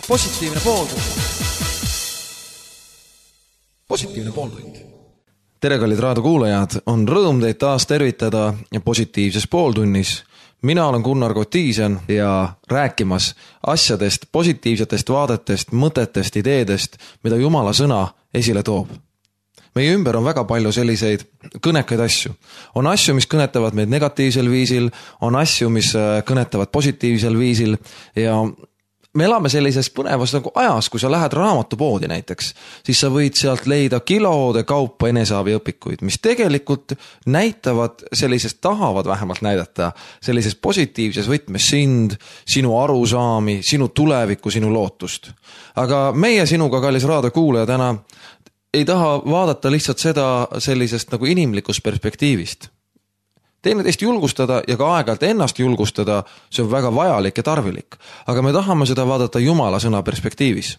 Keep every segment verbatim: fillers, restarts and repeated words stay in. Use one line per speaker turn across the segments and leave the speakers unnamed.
positiivne pooltund. Positiivne pooltund. Tere, kallid raadiokuulajad, on rõõm teid taas tervitada positiivses pooltunnis. Mina olen Gunnar Kotiisen ja rääkimas asjadest, positiivsetest vaadetest, mõtetest, ideedest, mida Jumala sõna esile toob. Meie ümber on väga palju selliseid kõnekaid asju. On asju, mis kõnetavad meid negatiivsel viisil, on asju, mis kõnetavad positiivsel viisil ja me elame sellises põnevas nagu ajas, kui sa lähed raamatupoodi näiteks, siis sa võid sealt leida kiloode kaupa eneseabiõpikuid, mis tegelikult näitavad sellisest, tahavad vähemalt näidata sellises positiivses võtmes sind, sinu arusaami, sinu tulevikku, sinu lootust. Aga meie sinuga, kallis raadiokuulaja, täna ei taha vaadata lihtsalt seda sellisest nagu inimlikust perspektiivist. Teineteist julgustada ja ka aeg-ajalt ennast julgustada, see on väga vajalik ja tarvilik. Aga me tahame seda vaadata Jumala sõna perspektiivis.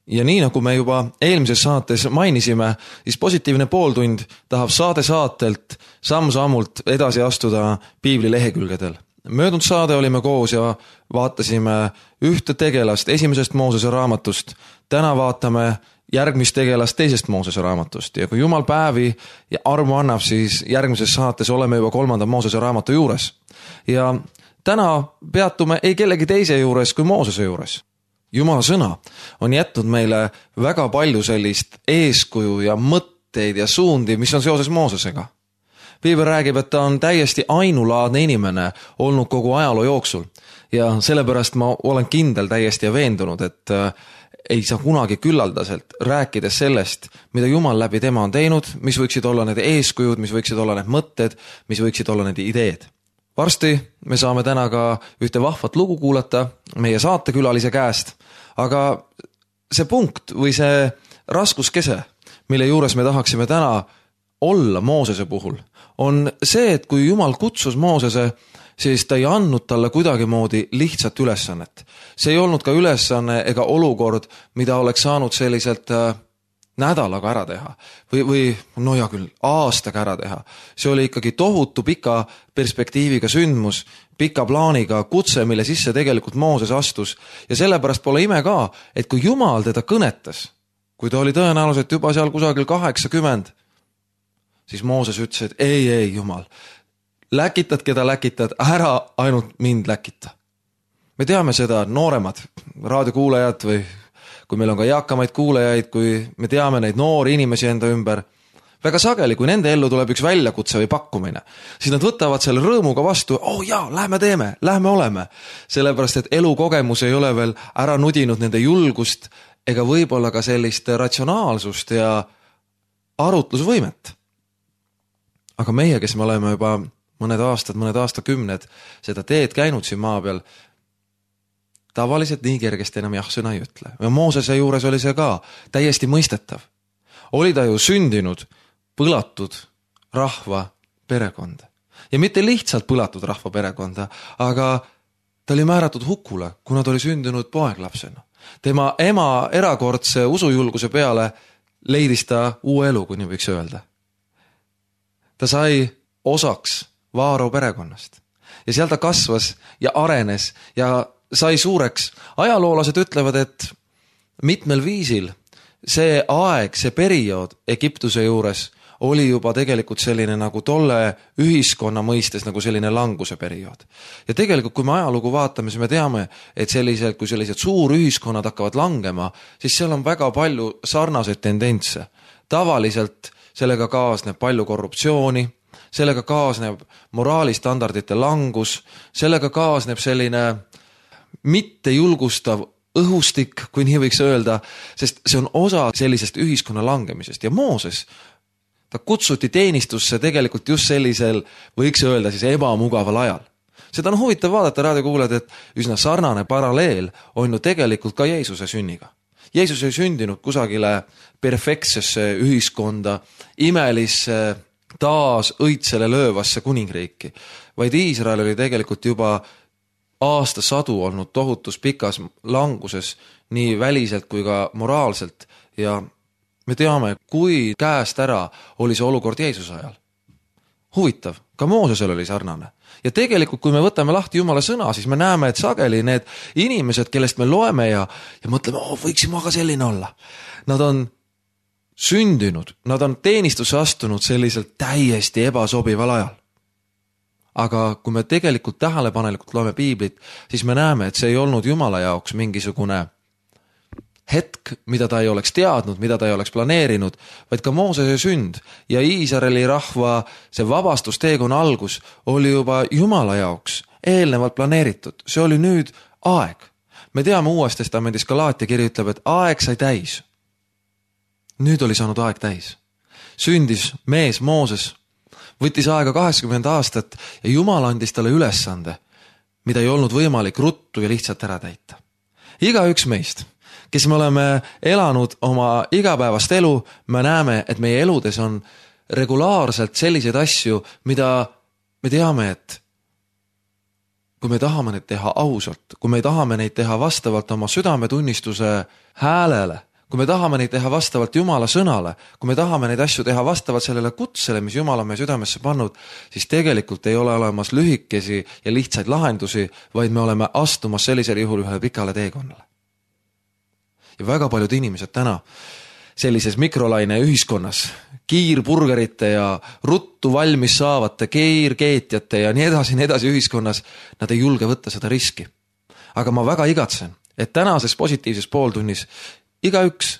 Ja nii nagu me juba eelmises saates mainisime, siis positiivne pooltund tahab saade saatelt samm-sammult edasi astuda piibli lehekülgedel. Möödunud saade olime koos ja vaatasime ühte tegelast esimesest Moosese raamatust. Täna vaatame järgmist tegelast teisest Moosese raamatust ja kui Jumal päevi ja armu annab, siis järgmises saates oleme juba kolmanda Moosese raamatu juures. Ja täna peatume ei kellegi teise juures kui Moosese juures. Jumala sõna on jätnud meile väga palju sellist eeskuju ja mõtteid ja suundi, mis on seoses Moosesega. Piibel räägib, et ta on täiesti ainulaadne inimene olnud kogu ajaloo jooksul ja sellepärast ma olen kindel täiesti ja veendunud, et ei saa kunagi küllaldaselt rääkides sellest, mida Jumal läbi tema on teinud, mis võiksid olla need eeskujud, mis võiksid olla need mõtted, mis võiksid olla need ideed. Varsti me saame täna ka ühte vahvat lugu kuulata meie saatekülalise käest, aga see punkt või see raskuskese, mille juures me tahaksime täna olla Moosese puhul, on see, et kui Jumal kutsus Moosese, siis ta ei andnud talle kuidagi moodi lihtsat ülesannet. See ei olnud ka ülesanne ega olukord, mida oleks saanud selliselt äh, nädalaga ära teha või, või no ja küll aastaga ära teha. See oli ikkagi tohutu pika perspektiiviga sündmus, pika plaaniga kutse, mille sisse tegelikult Mooses astus ja sellepärast pole ime ka, et kui Jumal teda kõnetas, kui ta oli tõenäoliselt juba seal kusagil kaheksakümmend, siis Mooses ütles, et ei, ei Jumal, läkitad, keda läkitad, ära ainult mind läkita. Me teame seda nooremad raadiokuulajad või kui meil on ka eakamaid kuulajaid, kui me teame neid noori inimesi enda ümber, väga sageli, kui nende ellu tuleb üks väljakutse või pakkumine, siis nad võtavad selle rõõmuga vastu, oh jaa, lähme teeme, lähme oleme. Sellepärast, et elukogemus ei ole veel ära nudinud nende julgust ega võib-olla ka sellist ratsionaalsust ja arutlusvõimet. Aga meie, kes me oleme juba mõned aastad, mõned aastakümned seda teed käinud siin maa peal, tavaliselt nii kergesti enam jah sõna ei ütle. Ja Moosese juures oli see ka täiesti mõistetav. Oli ta ju sündinud põlatud rahva perekonda. Ja mitte lihtsalt põlatud rahva perekonda, aga ta oli määratud hukule, kuna ta oli sündinud poeglapsena. Tema ema erakordse usujulguse peale leidis ta uue elu, kui nii võiks öelda. Ta sai osaks Vaaro perekonnast. Ja seal ta kasvas ja arenes ja sai suureks. Ajaloolased ütlevad, et mitmel viisil see aeg, see periood Egiptuse juures oli juba tegelikult selline nagu tolle ühiskonna mõistes nagu selline languse periood. Ja tegelikult, kui me ajalugu vaatame, siis me teame, et sellised, kui sellised suur ühiskonnad hakkavad langema, siis seal on väga palju sarnaseid tendentse. Tavaliselt sellega kaasneb palju korruptsiooni, sellega kaasneb moraalistandardite langus, sellega kaasneb selline mitte julgustav õhustik, kui nii võiks öelda, sest see on osa sellisest ühiskonna langemisest. Ja Mooses, ta kutsuti teenistusse tegelikult just sellisel, võiks öelda siis ebamugaval ajal. Seda on huvitav vaadata raadiokuulajad, et üsna sarnane paralleel on ju tegelikult ka Jeesuse sünniga. Jeesus ei sündinud kusagile perfektsesse ühiskonda, imelisse taas õitsele löövasse kuningriiki, vaid Iisrael oli tegelikult juba aastasadu olnud tohutus pikas languses nii väliselt kui ka moraalselt ja me teame, kui käest ära oli see olukord Jeesuse ajal. Huvitav, ka Moosesel oli sarnane. Ja tegelikult, kui me võtame lahti Jumala sõna, siis me näeme, et sageli need inimesed, kellest me loeme ja, ja mõtleme, oh, võiksime aga selline olla. Nad on sündinud, nad on teenistusse astunud selliselt täiesti ebasobival ajal. Aga kui me tegelikult tähelepanelikult loeme piiblit, siis me näeme, et see ei olnud Jumala jaoks mingisugune hetk, mida ta ei oleks teadnud, mida ta ei oleks planeerinud, vaid ka Moosese sünd ja Iisraeli rahva see vabastusteekonna algus oli juba Jumala jaoks eelnevalt planeeritud. See oli nüüd aeg. Me teame Uues Testamendis Galaatia kiri ütleb, et aeg sai täis. Nüüd oli saanud aeg täis. Sündis mees Mooses, võttis aega kaheksakümmend aastat ja Jumal andis talle ülesande, mida ei olnud võimalik ruttu ja lihtsalt ära täita. Iga üks meist, kes me oleme elanud oma igapäevast elu, me näeme, et meie eludes on regulaarselt selliseid asju, mida me teame, et kui me tahame neid teha ausalt, kui me tahame neid teha vastavalt oma südametunnistuse häälele, kui me tahame neid teha vastavalt Jumala sõnale, kui me tahame neid asju teha vastavalt sellele kutsele, mis Jumal on meie südamesse pannud, siis tegelikult ei ole olemas lühikesi ja lihtsaid lahendusi, vaid me oleme astumas sellisel juhul ühele pikale teekonnale. Ja väga paljud inimesed täna sellises mikrolaine ühiskonnas, kiirburgerite ja ruttu valmis saavate kiirkeetjate ja nii edasi, nii edasi ühiskonnas, nad ei julge võtta seda riski. Aga ma väga igatsen, et tänases positiivses pooltunnis igaüks,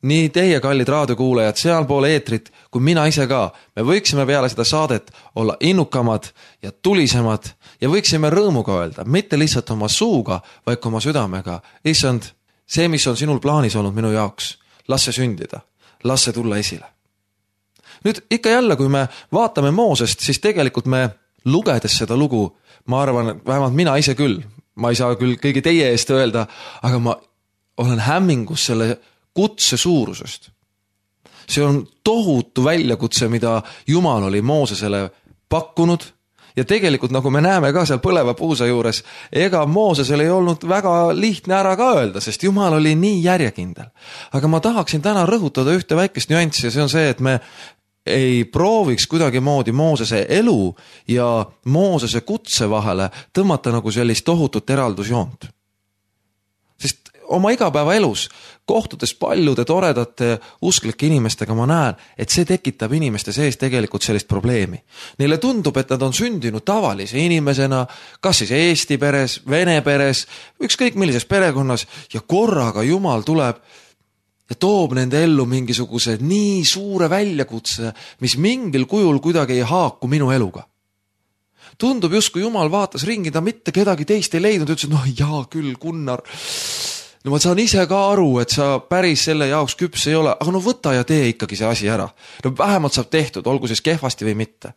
nii teie kallid raadiokuulajad sealpool eetrit, kui mina ise ka, me võiksime peale seda saadet olla innukamad ja tulisemad ja võiksime rõõmuga öelda, mitte lihtsalt oma suuga, vaid oma südamega. Issand, see, mis on sinul plaanis olnud minu jaoks, las see sündida, las see tulla esile. Nüüd ikka jälle, kui me vaatame Moosest, siis tegelikult me lugedes seda lugu, ma arvan, vähemalt mina ise küll, ma ei saa küll kõigi teie eest öelda, aga ma olen hämmingus selle kutse suurusest. See on tohutu väljakutse, mida Jumal oli Moosesele pakkunud. Ja tegelikult, nagu me näeme ka seal põleva puusa juures, ega Moosesel ei olnud väga lihtne ära ka öelda, sest Jumal oli nii järjekindel. Aga ma tahaksin täna rõhutada ühte väikest nüanssi ja see on see, et me ei prooviks kuidagi moodi Moosese elu ja Moosese kutse vahele tõmmata nagu sellist tohutut eraldusjoont. Sest oma igapäeva elus, kohtudes paljude toredate usklike inimestega, ma näen, et see tekitab inimeste sees tegelikult sellist probleemi. Neile tundub, et nad on sündinud tavalise inimesena, kas siis Eesti peres, Vene peres, ükskõik millises perekonnas ja korraga Jumal tuleb ja toob nende ellu mingisuguse nii suure väljakutse, mis mingil kujul kuidagi ei haaku minu eluga. Tundub justkui Jumal vaatas ringi, ta mitte kedagi teist ei leidnud, ütles, et noh, jaa küll, Gunnar, no ma saan ise ka aru, et sa päris selle jaoks küps ei ole, aga no võta ja tee ikkagi see asi ära. No vähemalt saab tehtud, olgu siis kehvasti või mitte.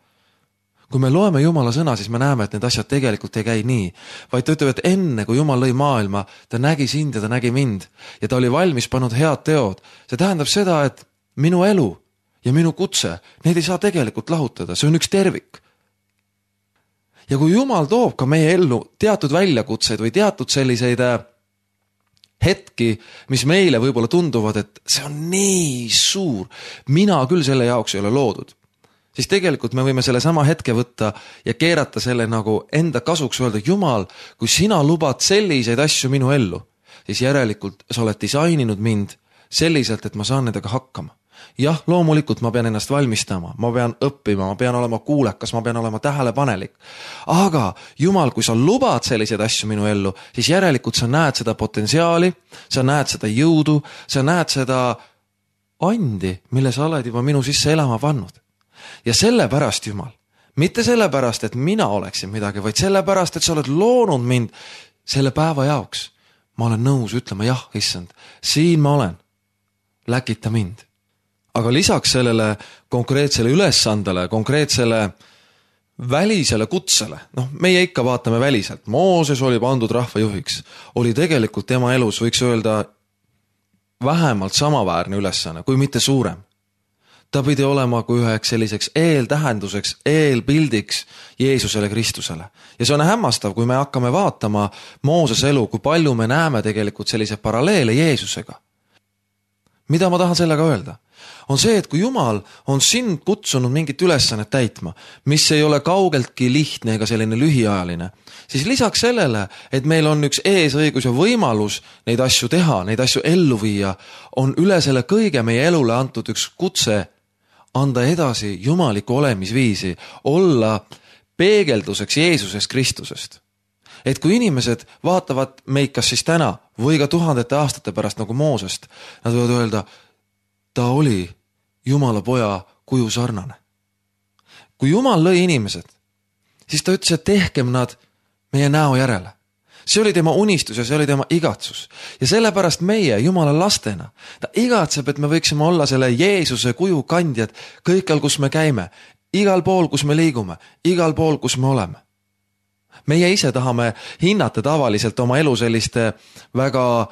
Kui me loeme Jumala sõna, siis me näeme, et need asjad tegelikult ei käi nii. Vaid ta ütleb, et enne, kui Jumal lõi maailma, ta nägi sind ja ta nägi mind. Ja ta oli valmis pannud head teod. See tähendab seda, et minu elu ja minu kutse, neid ei saa tegelikult lahutada. See on üks tervik. Ja kui Jumal toob ka meie ellu teatud väljakutseid või teatud selliseid hetki, mis meile võib-olla tunduvad, et see on nii suur, mina küll selle jaoks ei ole loodud, siis tegelikult me võime selle sama hetke võtta ja keerata selle nagu enda kasuks öelda, Jumal, kui sina lubad selliseid asju minu ellu, siis järelikult sa oled disaininud mind selliselt, et ma saan nendega hakkama. Jah, loomulikult ma pean ennast valmistama, ma pean õppima, ma pean olema kuulekas, ma pean olema tähelepanelik. Aga Jumal, kui sa lubad selliseid asju minu ellu, siis järelikult sa näed seda potentsiaali, sa näed seda jõudu, sa näed seda andi, mille sa oled juba minu sisse elama pannud. Ja sellepärast, Jumal, mitte sellepärast, et mina oleksin midagi, vaid sellepärast, et sa oled loonud mind selle päeva jaoks. Ma olen nõus ütlema, jah, issand, siin ma olen, läkita mind. Aga lisaks sellele konkreetsele ülesandele, konkreetsele välisele kutsele, noh, meie ikka vaatame väliselt, Mooses oli pandud rahvajuhiks, oli tegelikult tema elus, võiks öelda, vähemalt samaväärne ülesanne, kui mitte suurem. Ta pidi olema kui üheks selliseks eeltähenduseks, eelpildiks Jeesusele Kristusele. Ja see on hämmastav, kui me hakkame vaatama Mooses elu, kui palju me näeme tegelikult sellise paralleele Jeesusega. Mida ma tahan sellega öelda? on see, et kui Jumal on sind kutsunud mingit ülesannet täitma, mis ei ole kaugeltki lihtne ega selline lühiajaline, siis lisaks sellele, et meil on üks eesõigus ja võimalus neid asju teha, neid asju ellu viia, on üle selle kõige meie elule antud üks kutse anda edasi jumaliku olemisviisi, olla peegelduseks Jeesusest Kristusest. Et kui inimesed vaatavad meid kas siis täna või ka tuhandete aastate pärast nagu Moosest, nad võivad öelda, ta oli Jumala poja kuju sarnane. Kui Jumal lõi inimesed, siis ta ütles, et tehkem nad meie näo järele. See oli tema unistus ja see oli tema igatsus. Ja sellepärast meie Jumala lastena, ta igatseb, et me võiksime olla selle Jeesuse kuju kandjad kõikjal, kus me käime, igal pool, kus me liigume, igal pool, kus me oleme. Meie ise tahame hinnata tavaliselt oma elu selliste väga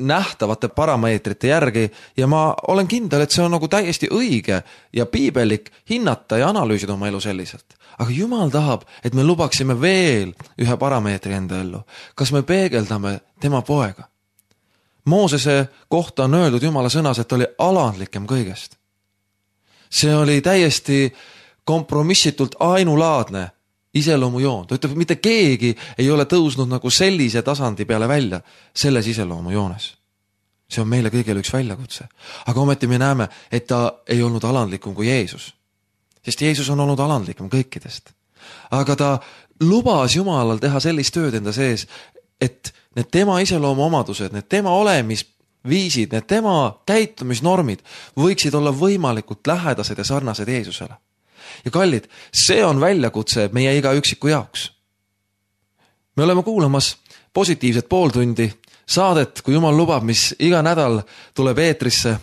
nähtavate parameetrite järgi ja ma olen kindel, et see on nagu täiesti õige ja piibelik hinnata ja analüüsida oma elu selliselt. Aga Jumal tahab, et me lubaksime veel ühe parameetri enda ellu. Kas me peegeldame tema poega? Moosese kohta on öeldud Jumala sõnas, et oli alandlikem kõigest. See oli täiesti kompromissitult ainulaadne iseloomujoon. Ta ütleb, et mitte keegi ei ole tõusnud nagu sellise tasandi peale välja selles iseloomujoones. See on meile kõigile üks väljakutse. Aga ometi me näeme, et ta ei olnud alandlikum kui Jeesus. Sest Jeesus on olnud alandlikum kõikidest. Aga ta lubas Jumalal teha sellist tööd enda sees, et need tema iseloomu omadused, need tema olemisviisid, need tema käitumisnormid võiksid olla võimalikult lähedased ja sarnased Jeesusele. Ja kallid, see on väljakutse meie iga üksiku jaoks. Me oleme kuulamas positiivset pooltundi saadet, kui Jumal lubab, mis iga nädal tuleb eetrisse.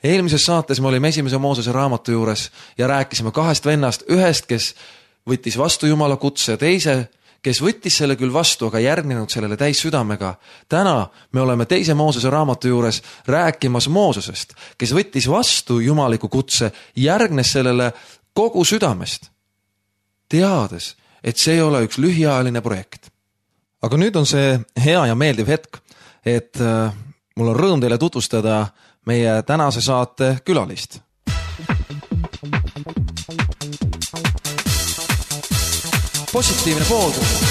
Eelmises saates me olime esimese Moosese raamatu juures ja rääkisime kahest vennast, ühest, kes võttis vastu Jumala kutse, teise, kes võttis selle küll vastu, aga järgnenud sellele täis südamega. Täna me oleme teise Moosese raamatu juures rääkimas Moosesest, kes võttis vastu jumaliku kutse, järgnes sellele kogu südamest, teades, et see ei ole üks lühiajaline projekt. Aga nüüd on see hea ja meeldiv hetk, et mul on rõõm teile tutvustada meie tänase saate külalist. Positiivne pooltund.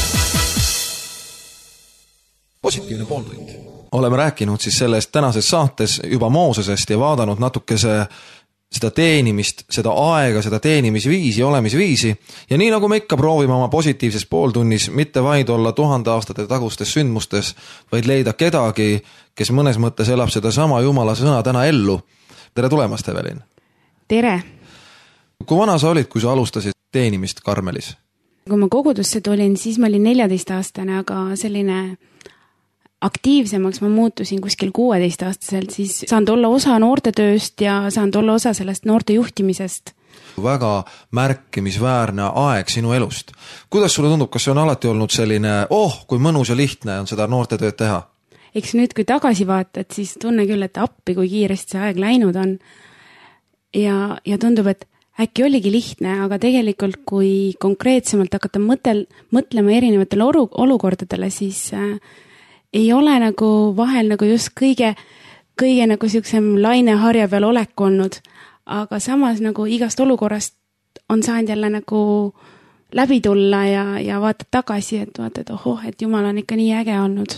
Positiivne pooltund. Oleme rääkinud siis sellest tänases saates juba Moosesest ja vaadanud natukese seda teenimist, seda aega, seda teenimisviisi, olemisviisi ja nii nagu me ikka proovime oma positiivses pooltunnis mitte vaid olla tuhande aastate tagustes sündmustes, vaid leida kedagi, kes mõnes mõttes elab seda sama Jumala sõna täna ellu. Tere tulemast, Evelin!
Tere!
Kui vana sa olid, kui sa alustasid teenimist Karmelis?
Kui ma kogudusse tulin, siis ma olin neljateist aastane, aga selline aktiivsemaks ma muutusin kuskil kuueteist aastaselt, siis saan olla osa noortetööst ja saan olla osa sellest noorte juhtimisest.
Väga märkimisväärne aeg sinu elust. Kuidas sulle tundub, kas see on alati olnud selline, oh, kui mõnus ja lihtne on seda noortetööd teha?
Eks nüüd, kui tagasi vaatad, siis tunne küll, et appi, kui kiiresti see aeg läinud on. Ja, ja tundub, et äkki oligi lihtne, aga tegelikult, kui konkreetsemalt hakata mõtel, mõtlema erinevatele oru, olukordadele, siis äh, ei ole nagu vahel nagu just kõige, kõige nagu siuksem laineharja peal olek olnud, aga samas nagu igast olukorrast on saanud jälle nagu läbi tulla ja, ja vaatad tagasi, et vaatad, ohoh, et Jumal on ikka nii äge olnud.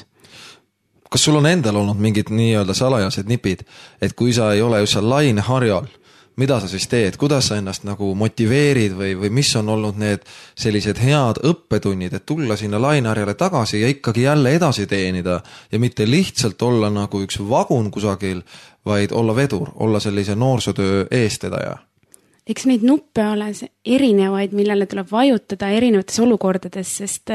Kas sul on endal olnud mingid nii-öelda salajased nipid, et kui sa ei ole just seal laineharjal, mida sa siis teed, kuidas sa ennast nagu motiveerid või, või mis on olnud need sellised head õppetunnid, et tulla sinna laineharjale tagasi ja ikkagi jälle edasi teenida ja mitte lihtsalt olla nagu üks vagun kusagil, vaid olla vedur, olla sellise noorsootöö eestedaja?
Eks neid nuppe ole erinevaid, millele tuleb vajutada erinevates olukordades, sest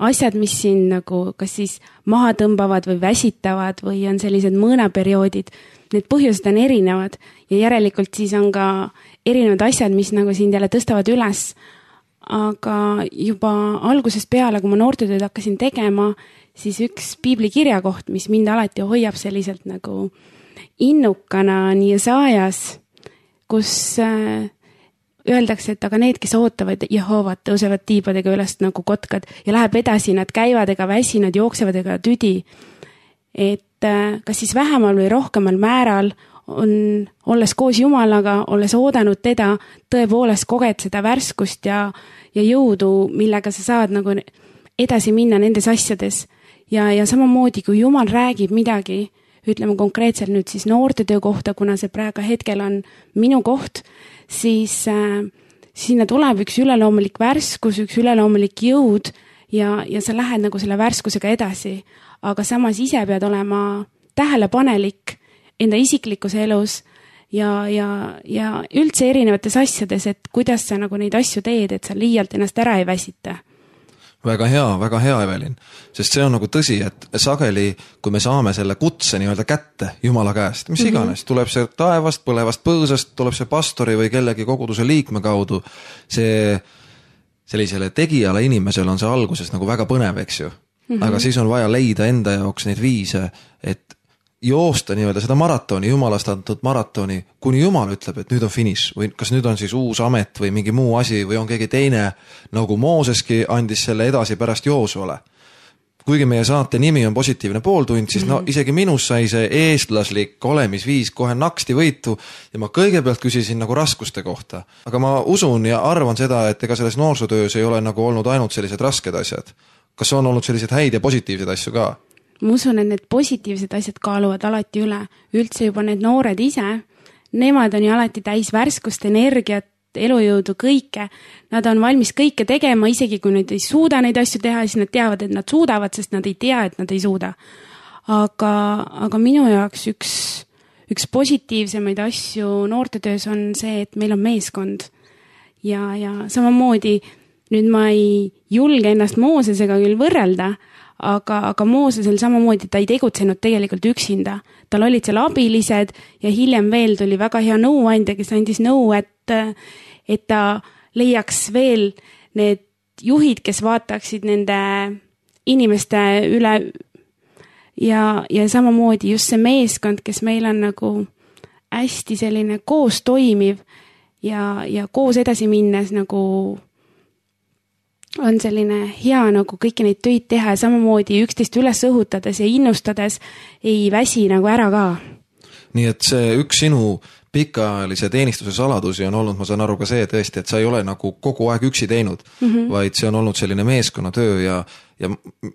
asjad, mis siin nagu kas siis maha tõmbavad või väsitavad või on sellised mõõnaperioodid, need põhjused on erinevad ja järelikult siis on ka erinevad asjad, mis nagu sind jälle tõstavad üles. Aga juba algusest peale, kui ma noortetööd hakkasin tegema, siis üks piibli kirjakoht, mis mind alati hoiab selliselt nagu innukana nii saajas, kus öeldakse, et aga need, kes ootavad Jehovat, tõusevad tiibadega üles nagu kotkad ja läheb edasi, nad käivad ega väsi, nad jooksevad ega tüdi. Et kas siis vähemal või rohkemal määral on, olles koos Jumalaga, olles oodanud teda, tõepoolest koged seda värskust ja, ja jõudu, millega sa saad nagu edasi minna nendes asjades. Ja, ja samamoodi, kui Jumal räägib midagi, ütleme konkreetselt nüüd siis noortetöö kohta, kuna see praegu hetkel on minu koht, siis äh, sinna tuleb üks üleloomulik värskus, üks üleloomulik jõud ja, ja sa lähed nagu selle värskusega edasi. Aga samas ise pead olema tähelepanelik enda isiklikus elus ja, ja, ja üldse erinevates asjades, et kuidas sa nagu neid asju teed, et sa liialt ennast ära ei väsita.
Väga hea, väga hea, Evelin. Sest see on nagu tõsi, et sageli, kui me saame selle kutse nii-öelda kätte Jumala käest, mis iganes, tuleb see taevast, põlevast põõsast, tuleb see pastori või kellegi koguduse liikme kaudu, see sellisele tegijale inimesel on see alguses nagu väga põnev, eks ju. Mm-hmm. Aga siis on vaja leida enda jaoks neid viise, et joosta nii-öelda seda maratoni, Jumalast antud maratoni, kuni Jumal ütleb, et nüüd on finiš või kas nüüd on siis uus amet või mingi muu asi või on keegi teine, nagu Mooseski andis selle edasi pärast Joosuale. Kuigi meie saate nimi on positiivne pooltund, siis no isegi minus sai see eestlaslik olemisviis kohe naksti võitu ja ma kõigepealt küsisin nagu raskuste kohta. Aga ma usun ja arvan seda, et ega selles noorsutöös ei ole nagu olnud ainult sellised rasked asjad. Kas on olnud sellised häid ja positiivsed asju ka?
Ma usun, et need positiivsed asjad kaaluvad alati üle. Üldse juba need noored ise, nemad on ju alati täis värskust, energiat, elujõudu, kõike. Nad on valmis kõike tegema, isegi kui nad ei suuda neid asju teha, siis nad teavad, et nad suudavad, sest nad ei tea, et nad ei suuda. Aga, aga minu jaoks üks, üks positiivsemaid asju noortetöös on see, et meil on meeskond. Ja, ja samamoodi nüüd ma ei julge ennast Moosesega küll võrrelda, aga, aga Moosesel samamoodi ta ei tegutsenud tegelikult üksinda. Tal olid seal abilised ja hiljem veel tuli väga hea nõuandja, kes andis nõu, et, et ta leiaks veel need juhid, kes vaataksid nende inimeste üle ja, ja samamoodi just see meeskond, kes meil on nagu hästi selline koos toimiv ja, ja koos edasi minnes nagu on selline hea nagu kõiki neid töid teha ja samamoodi üksteist üles õhutades ja innustades ei väsi nagu ära ka.
Nii et see üks sinu pikaajalise teenistuse saladusi on olnud, ma saan aru ka see tõesti, et sa ei ole nagu kogu aeg üksi teinud, mm-hmm. vaid see on olnud selline meeskonnatöö ja, ja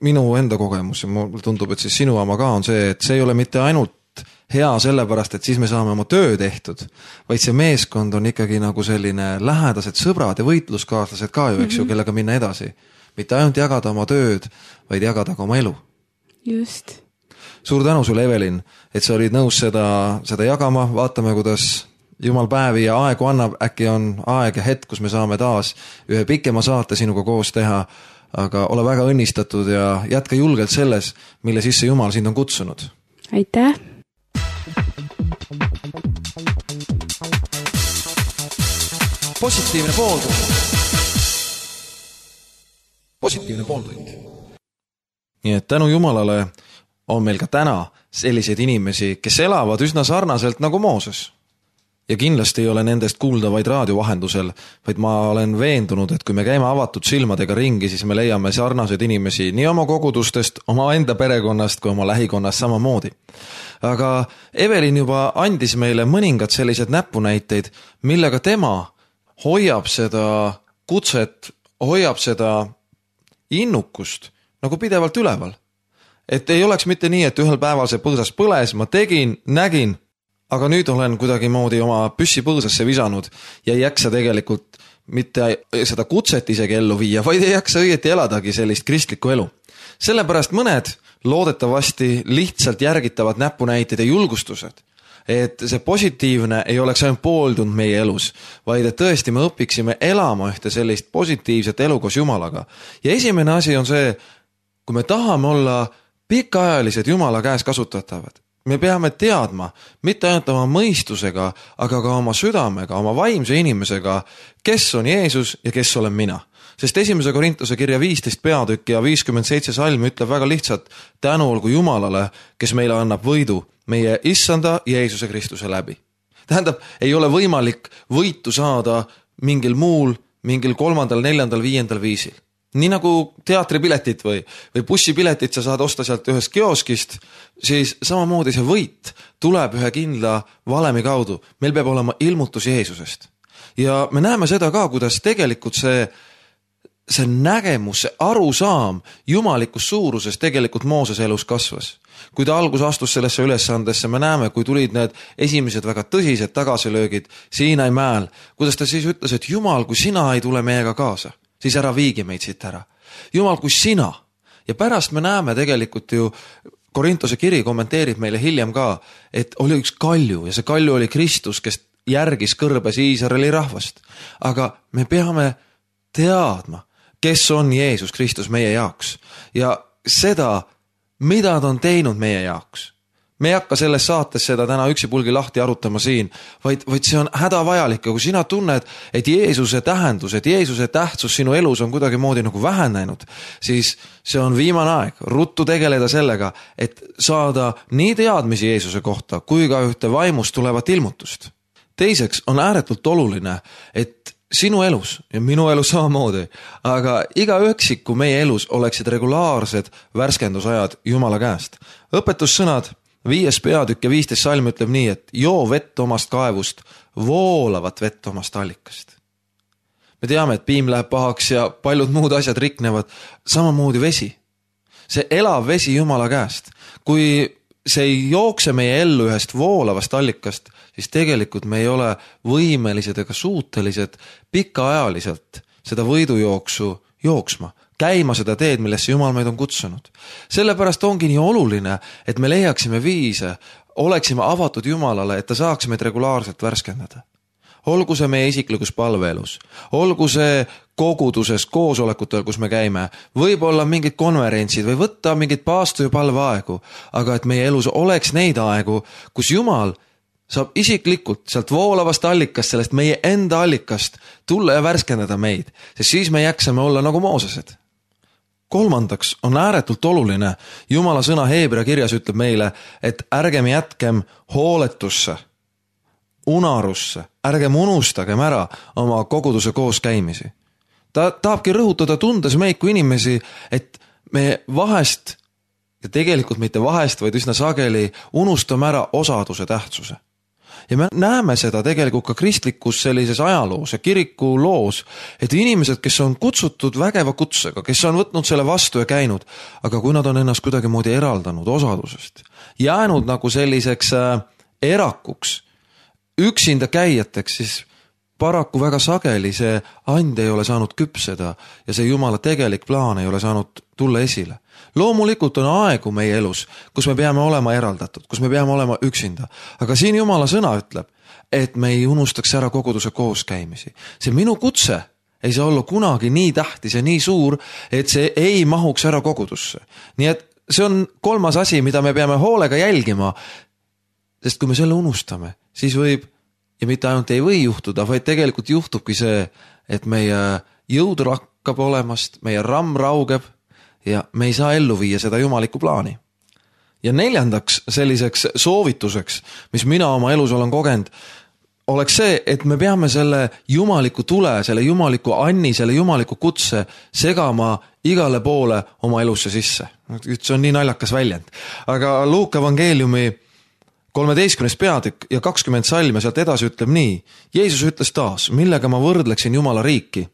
minu enda kogemus ja mulle tundub, et siis sinu oma ka on see, et see ei ole mitte ainult hea sellepärast, et siis me saame oma töö tehtud, vaid see meeskond on ikkagi nagu selline lähedased sõbrad ja võitluskaaslased ka ju, eks ju, kellega minna edasi. Mitte ainult jagada oma tööd, vaid jagada ka oma elu.
Just.
Suur tänu sulle, Evelin, et sa olid nõus seda, seda jagama, vaatame, kuidas Jumal päevi ja aegu annab, äkki on aeg ja hetk, kus me saame taas ühe pikema saate sinuga koos teha, aga ole väga õnnistatud ja jätka julgelt selles, mille sisse Jumal sind on kutsunud.
Aitäh!
Positiivne pooltund. Positiivne pooltund. Nii et tänu Jumalale on meil ka täna selliseid inimesi, kes elavad üsna sarnaselt nagu Mooses. Ja kindlasti ei ole nendest kuulda vaid raadiovahendusel, vaid ma olen veendunud, et kui me käime avatud silmadega ringi, siis me leiame sarnaseid inimesi nii oma kogudustest, oma enda perekonnast kui oma lähikonnast samamoodi. Aga Evelin juba andis meile mõningad sellised näpunäiteid, millega tema hoiab seda kutset, hoiab seda innukust nagu pidevalt üleval. Et ei oleks mitte nii, et ühel päeval see põõsas põles, ma tegin, nägin, aga nüüd olen kuidagi moodi oma püssi põõsasse visanud ja ei jaksa tegelikult mitte seda kutset isegi ellu viia, vaid ei jaksa õieti eladagi sellist kristlikku elu. Sellepärast mõned loodetavasti lihtsalt järgitavad näpunäited ja julgustused, et see positiivne ei oleks ainult pooltund meie elus, vaid et tõesti me õpiksime elama ühte sellist positiivset elu koos Jumalaga. Ja esimene asi on see, kui me tahame olla pikaajalised Jumala käes kasutatavad, me peame teadma, mitte ainult oma mõistusega, aga ka oma südamega, oma vaimse inimesega, kes on Jeesus ja kes olen mina. Sest esimese Korintuse kirja viisteist peatükk ja viiskümmend seitse salm ütleb väga lihtsalt tänu olgu Jumalale, kes meile annab võidu meie issanda Jeesuse Kristuse läbi. Tähendab, ei ole võimalik võitu saada mingil muul, mingil kolmandal, neljandal, viiendal viisil. nii nagu teatripiletit või, või bussipiletit sa saad osta sealt ühest kioskist, siis samamoodi see võit tuleb ühe kindla valemi kaudu. Meil peab olema ilmutus Jeesusest. Ja me näeme seda ka, kuidas tegelikult see, see nägemus, see arusaam jumalikus suuruses tegelikult Mooses elus kasvas. Kui ta algus astus sellesse ülesandesse, me näeme, kui tulid need esimesed väga tõsised tagasilöögid Siinai mäel, kuidas ta siis ütles, et Jumal, kui sina ei tule meiega kaasa, siis ära viigi meid siit ära. Jumal, kui sina. Ja pärast me näeme tegelikult ju, Korintose kiri kommenteerib meile hiljem ka, et oli üks kalju ja see kalju oli Kristus, kes järgis kõrbes Iisraeli rahvast. Aga me peame teadma, kes on Jeesus Kristus meie jaoks ja seda, mida ta on teinud meie jaoks. Me ei hakka selles saates seda täna üksipulgi lahti arutama siin, vaid, vaid see on hädavajalik. Ja kui sina tunned, et Jeesuse tähendus, et Jeesuse tähtsus sinu elus on kuidagi moodi nagu vähenenud, siis see on viimane aeg ruttu tegeleda sellega, et saada nii teadmisi Jeesuse kohta, kui ka ühte vaimust tulevat ilmutust. Teiseks on ääretult oluline, et sinu elus ja minu elus samamoodi, aga iga üksiku meie elus oleksid regulaarsed värskendusajad Jumala käest. Õpetussõnad, viies peatükk ja viisteist salm ütleb nii, et joo vett omast kaevust, voolavat vett omast allikast. Me teame, et piim läheb pahaks ja paljud muud asjad riknevad, samamoodi vesi. See elav vesi Jumala käest. Kui see ei jookse meie ellu ühest voolavast allikast, siis tegelikult me ei ole võimelised ega suutelised pikaajaliselt seda võidujooksu jooksma, käima seda teed, millesse Jumal meid on kutsunud. Sellepärast ongi nii oluline, et me leiaksime viise, oleksime avatud Jumalale, et ta saaks meid regulaarselt värskendada. Olgu see meie isiklikus palveelus, olgu see koguduses, koosolekutel, kus me käime, võib-olla mingid konverentsid või võtta mingid paastu- ja palveaegu, aga et meie elus oleks neid aegu, kus Jumal saab isiklikult sealt voolavast allikast, sellest meie enda allikast tulla ja värskendada meid, sest siis me jäksame olla nagu Moosesed. Kolmandaks on ääretult oluline, Jumala sõna Heebrea kirjas ütleb meile, et ärgem jätkem hooletusse, unarusse, ärgem unustagem ära oma koguduse koos käimisi. Ta tahabki rõhutada tundes meid kui inimesi, et me vahest, ja tegelikult mitte vahest, vaid üsna sageli unustame ära osaduse tähtsuse. Ja me näeme seda tegelikult ka kristlikus sellises ajaloos ja kiriku loos, et inimesed, kes on kutsutud vägeva kutsega, kes on võtnud selle vastu ja käinud, aga kui nad on ennast kuidagi moodi eraldanud osadusest, jäänud nagu selliseks erakuks, üksinda käijateks, siis paraku väga sageli see and ei ole saanud küpseda ja see Jumala tegelik plaan ei ole saanud tulla esile. Loomulikult on aegu meie elus, kus me peame olema eraldatud, kus me peame olema üksinda. Aga siin Jumala sõna ütleb, et me ei unustaks ära koguduse kooskäimisi. See minu kutse ei saa olla kunagi nii tähtis ja nii suur, et see ei mahuks ära kogudusse. Nii et see on kolmas asi, mida me peame hoolega jälgima, sest kui me selle unustame, siis võib, ja mitte ainult ei või juhtuda, vaid tegelikult juhtubki see, et meie jõud rakkab olemast, meie ramm raugeb ja me ei saa ellu viia seda jumalikku plaani. Ja neljandaks selliseks soovituseks, mis mina oma elus olen kogenud, oleks see, et me peame selle jumaliku tule, selle jumaliku anni, selle jumaliku kutse segama igale poole oma elusse sisse. See on nii naljakas väljend. Aga Luuka evangeeliumi kolmeteistkümnes peatükk ja kakskümmend salm ja sealt edasi ütleb nii. Jeesus ütles taas, millega ma võrdleksin Jumala riiki.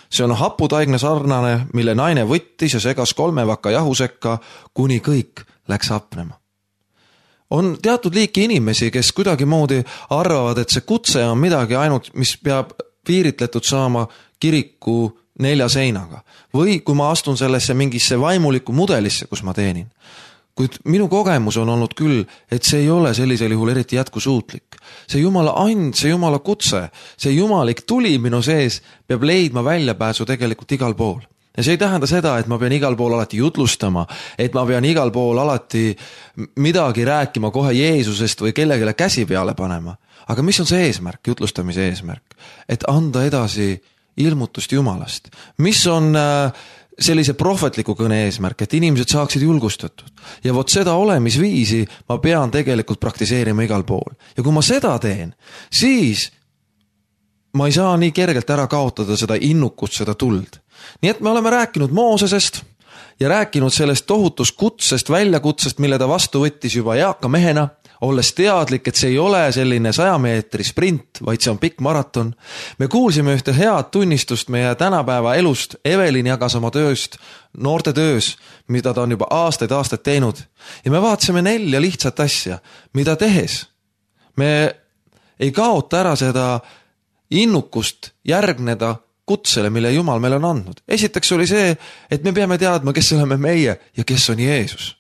See on haputaigne sarnane, mille naine võttis ja segas kolme vaka jahu sekka, kuni kõik läks hapnema. On teatud liiki inimesi, kes kuidagi moodi arvavad, et see kutse on midagi ainult, mis peab piiritletud saama kiriku nelja seinaga. Või kui ma astun sellesse mingisse vaimulikku mudelisse, kus ma teenin. Kuid minu kogemus on olnud küll, et see ei ole sellisel juhul eriti jätkusuutlik. See Jumala and, see Jumala kutse, see jumalik tuli minu sees peab leidma väljapääsu tegelikult igal pool. Ja see ei tähenda seda, et ma pean igal pool alati jutlustama, et ma pean igal pool alati midagi rääkima kohe Jeesusest või kellegile käsi peale panema. Aga mis on see eesmärk, jutlustamise eesmärk? Et anda edasi ilmutust Jumalast. Mis on sellise prohvetliku kõne eesmärk, et inimesed saaksid julgustatud. Ja vot seda olemisviisi ma pean tegelikult praktiseerima igal pool. Ja kui ma seda teen, siis ma ei saa nii kergelt ära kaotada seda innukust, seda tuld. nii et me oleme rääkinud Moosesest ja rääkinud sellest tohutust kutsest, väljakutsest, mille ta vastu võttis juba eaka mehena, olles teadlik, et see ei ole selline saja meetri sprint, vaid see on pikk maraton. Me kuulsime ühte head tunnistust meie tänapäeva elust. Evelin jagas oma tööst, noorte töös, mida ta on juba aastaid aastaid teinud. Ja me vaatasime nelja lihtsat asja, mida tehes. Me ei kaota ära seda innukust järgneda kutsele, mille Jumal meile on andnud. Esiteks oli see, et me peame teadma, kes oleme meie ja kes on Jeesus.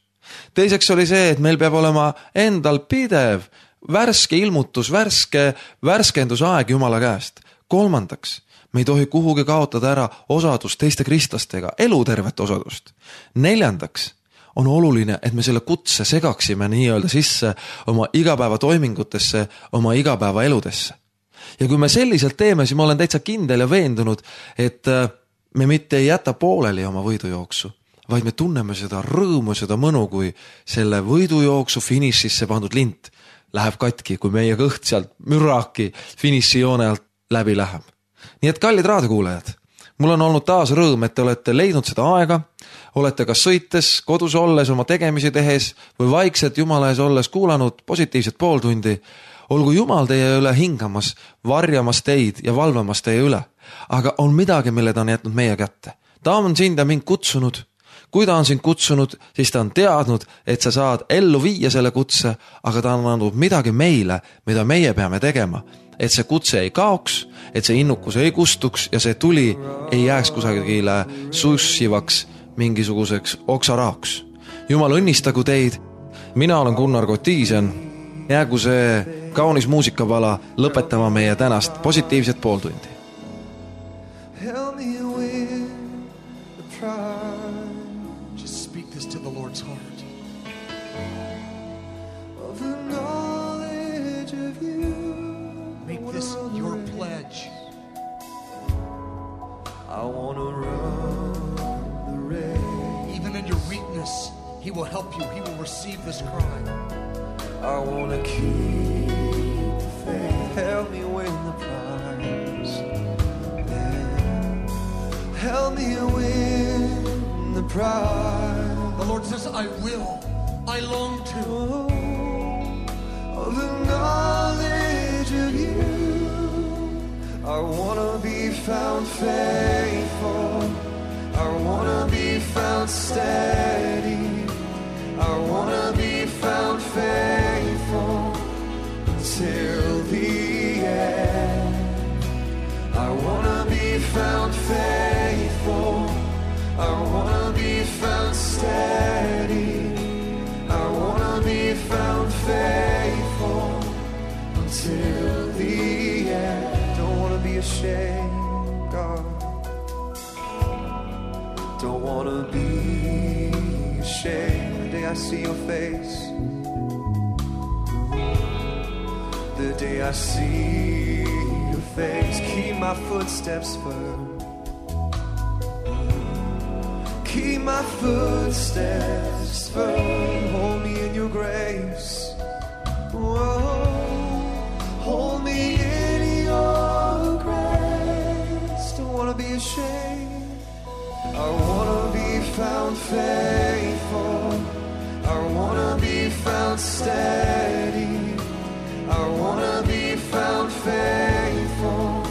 Teiseks oli see, et meil peab olema endal pidev, värske ilmutus, värske värskendusaeg Jumala käest. Kolmandaks, me ei tohi kuhugi kaotada ära osadust teiste kristlastega, elutervet osadust. Neljandaks, on oluline, et me selle kutse segaksime nii-öelda sisse oma igapäeva toimingutesse, oma igapäeva eludesse. Ja kui me selliselt teeme, siis ma olen täitsa kindel ja veendunud, et me mitte ei jäta pooleli oma võidujooksu, vaid me tunneme seda rõõmu, seda mõnu, kui selle võidujooksu finišisse pandud lint läheb katki, kui meie kõht sealt mürraki finišijoone alt läbi läheb. Nii et kallid raadiokuulajad, mul on olnud taas rõõm, et te olete leidnud seda aega, olete kas sõites, kodus olles, oma tegemisi tehes või vaikselt Jumala ees olles kuulanud positiivset pooltundi. Olgu Jumal teie üle hingamas, varjamas teid ja valvamas teie üle, aga on midagi, mille ta on jätnud meie kätte. Ta on sind ja mind kutsunud. Kui ta on sind kutsunud, siis ta on teadnud, et sa saad ellu viia selle kutse, aga ta on andnud midagi meile, mida meie peame tegema, et see kutse ei kaoks, et see innukus ei kustuks ja see tuli ei jääks kusagile sussivaks mingisuguseks oksaraaks. Jumal õnnistagu teid. Mina olen Gunnar Kotiisen. Jäägu see kaunis muusikapala lõpetama meie tänast positiivset pooltundi.
Help me with the pride. Just speak this to the Lord's heart. Of the knowledge of you. Make this your pledge. I want to run the race. Even in your weakness, He will help you. He will receive this cry. I want to keep the faith. Help me win the prize. Help me win the prize. The Lord says, I will. I long to. Of the knowledge of you. I want to be found faithful. I want to be found steady. I want to be found faithful till the end. I want to be found faithful. I want to be found steady. I want to be found faithful until the end. Don't want to be ashamed, God. Don't want to be ashamed. The day I see your face, the day I see your face, keep my footsteps firm. Keep my footsteps firm. Hold me in your grace. Whoa. Hold me in your grace. Don't want to be ashamed. I want to be found faithful. I want to be found steady. I want to be found faithful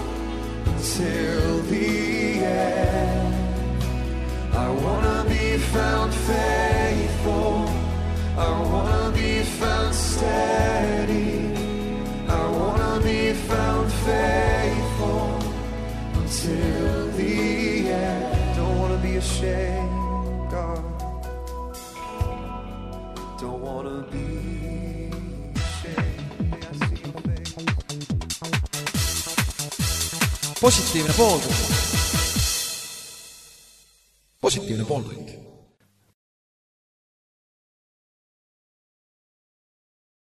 till the end. I want to be found faithful. I want to be found steady. I want to be found faithful until the end. Don't want to be ashamed, God. Don't want to be ashamed. I see your face.
Positiivne pooltund. Positiivne pooltund.